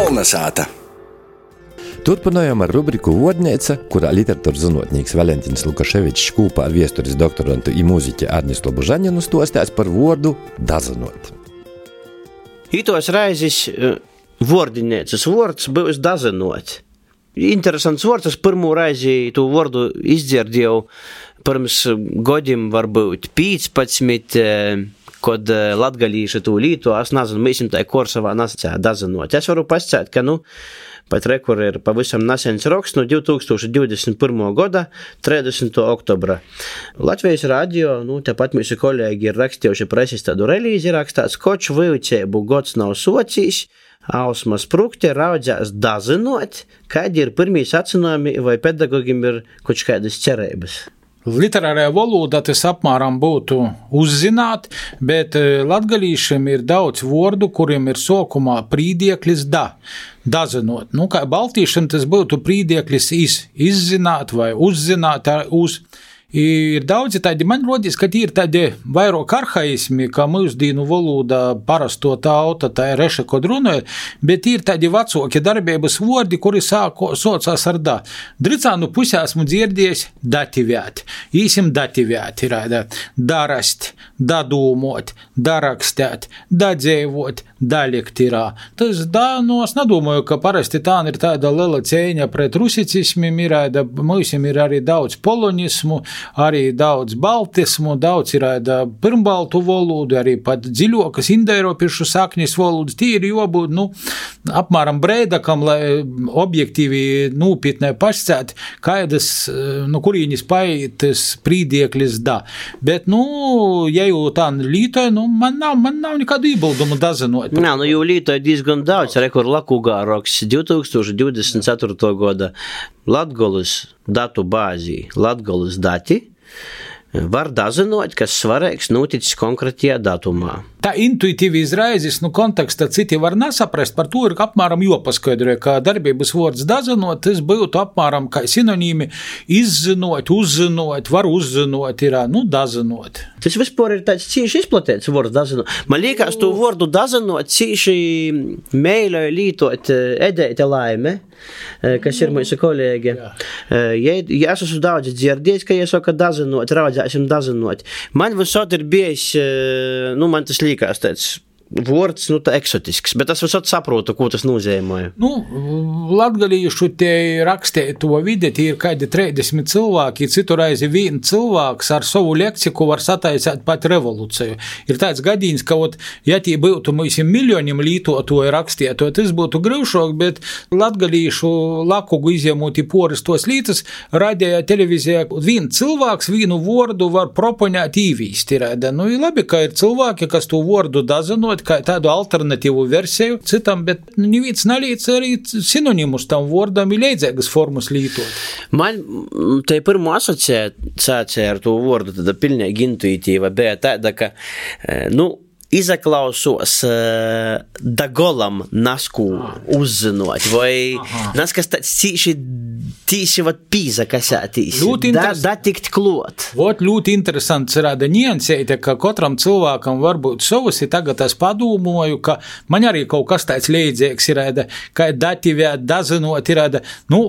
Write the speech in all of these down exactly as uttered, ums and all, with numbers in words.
Kolnesāta. Turpinājām ar rubriku Vordneica, kurā literatūras zinotnīks Valentins Lukaševičs kūpā ar viesturis doktorantu i mūziķi Arnis Lobužaņinu stostās par vordu dazinot. Itos raizis vordinēcas vords būs dazinot. Interesants vords, es pirmū raizi tu vordu izdzirdēju pirms godim varbūt pīcpadsmit, kod latgalīši tu līto, es nezinu, mēs tai Korsavā nasacē dazinot. Es varu pascēt, ka, nu, pat rekur ir pavisam nasens raksts no divi tūkstoši divdesmit pirmā gada trīsdesmitā oktobra. Latvijas radio, nu, tepat mūsu kolēģi ir rakstījuši preses tādu relīzi rakstāts, koč vyucēbu gods nav socijas, Ausmas prukti raudzēs dazinot, kādi ir pirmī sacinājumi vai pedagogiem ir kaut kādas cerības. Literārajā valodā tas apmēram būtu uzzināt, bet latgalīšiem ir daudz vordu, kuriem ir sokumā prīdieklis da, dazinot. Nu, kā baltīšiem tas būtu prīdieklis iz, izzināt vai uzzināt uz. Ir daudzi tādi, man rodīs, ka ir tādi vairāk arhaismi, kā mūsdīnu valodā parasto tauta, tā ir reša, kod runāja, bet ir tādi vecāki darbības vordi, kuri sāko, socās ar da. Dricānu pusē esmu dzirdējis dativēt, īsim dativēt, ir darast, dadūmot, darakstēt, dadzēvot, daliktirā. Tas da, nu, es nedomāju, ka parasti tā ir tāda lela cēņa pret rusicismim, ir, mūsim ir arī daudz polonismu, arī daudz baltismu, daudz ir pirmbaltu valodu, arī pat dziļokas indoeiropiešu saknis valodas. Tī ir jābūt, nu, apmēram breidakam, lai objektīvi nūpietnē pašcēt, kādas, nu, kurīnis paitas prīdieklis da. Bet, nu, ja jau tā lītoja, nu, man nav, man nav nekādu iebildumu dazinot. Nā, nu, jau lītoja diezgan daudz, rekur Lakūgā roks divi tūkstoši divdesmit ceturtā gada Latgolas datu bāzī, Latgolas dati, var dazinot, kas svarīgs noticis konkrētajā datumā. Tā intuitīvi izraizis, nu, kontekstā citi var nesaprast, par to ir apmēram jopaskaidroja, ka darbības vords dazinot, tas būtu apmēram kā sinonīmi izzinot, uzzinot, var uzzinot, ir, nu, dazinot. Tas vispār ir tāds cīši izplatīts vords dazinot. Man liekas, to vordu dazinot cīši mēļoja lītot Edeite Laime, kas ir mūsu kolēģi. Ja, ja es esmu daudz dzirdējis, ka ja saka dazinot, raudzēsim dazinot. Man visot ir bijis, nu, man tas liekas tāds vords, nu, tā eksotisks, bet es visot saprotu, ko tas nozīmē. Nu, latgalīšu te rakstēja to vidi, tie ir kādi trīsdesmit cilvēki, citu reizi vien cilvēks ar savu leksiku var sataisēt pat revolūciju. Ir tāds gadījums, ka, ot, ja tī būtu mūsim miljoniem lītotoju rakstēto, tas būtu grūšāk, bet latgalīšu lakugu izjemūti poris tos lītas, radēja televīzijā, vien cilvēks vienu vordu var proponēt īvīst. Nu, ir labi, ka ir cilvēki, kas to vordu dazinot, kā tādu alternatīvu versiju citam, bet neviens nalīdz arī sinonimus tam vordam ir līdzīgas formas lītot. Man tai pirmo asociācija ar to vordu tāda pilnīgi intuitīva bija tāda, ka, nu, izaklausos uh, dagolam nasku uzzinot, vai naskas tāds cīši tīši vat pīza kasētīs, da, da tikt klot. Vot ļoti interesants rāda niansēte, ka katram cilvēkam var būt savus, ir tagad es padūmoju, ka man arī kaut kas tāds līdzīgs ir, ka dativēt, dazinot, ir, nu,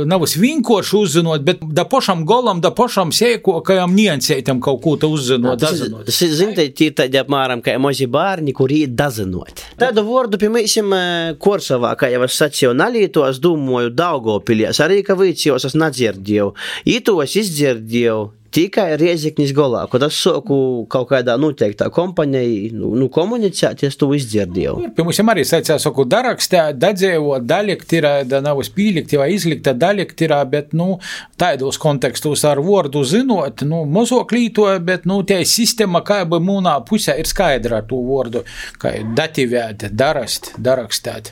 nav es vienkārši uzzinot, bet da pošam golam, da pošam sēkokajam niansētam kaut ko ta uzzinot, dazinot. Tas ir, zin, tie tādi apmēram, ka mazi bārni, kuri ir dazinot. Tādu vordu, piemēram, Korsavā, kā jau es sacīju, nalīto, es domāju, Daugavpilī, arī, ka vīcijos es nedzirdēju. Itos izdzirdēju tikai Rieziknis golā, kad es soku kaut kādā noteiktā kompanijā, nu, nu komunicēt, es to izdzirdēju. Piemēram, arī sacīja, soku darakstēt, dadzēvot, daliktirā, da nav spīlikti vai izlikta daliktirā, bet, nu, tādos kontekstos ar vordu zinot, nu, mozok lītoja, bet, nu, tie sistēma, kā бы mūnā pusē ir skaidra ar to vordu, kā dativēt, darast, darakstēt.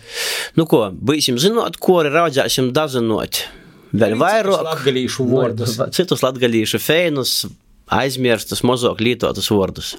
Nu ko, būsim zinot, ko arī raudzēsim dazinot. Vēl vairāk latgalīšu vordus. Citus latgalīšu feinus, aizmirstus, mozok lītotus vordus.